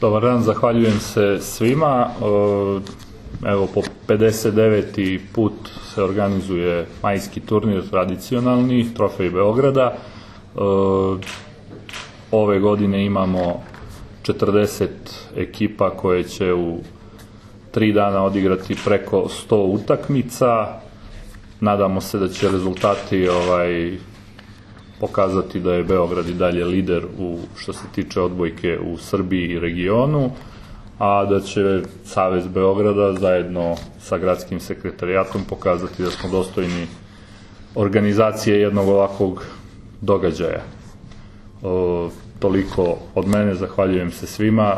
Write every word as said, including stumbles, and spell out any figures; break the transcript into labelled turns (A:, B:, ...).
A: Dobar dan, zahvaljujem se svima. Evo, po pedeset deveti put se organizuje majski turnir tradicionalni, Trofej Beograda. Ove godine imamo četrdeset ekipa koje će u tri dana odigrati preko sto utakmica. Nadamo se da će rezultati ovaj, pokazati da je Beograd i dalje lider u, što se tiče odbojke u Srbiji i regionu, a da će Savez Beograda zajedno sa gradskim sekretarijatom pokazati da smo dostojni organizacije jednog ovakvog događaja. O, toliko od mene, zahvaljujem se svima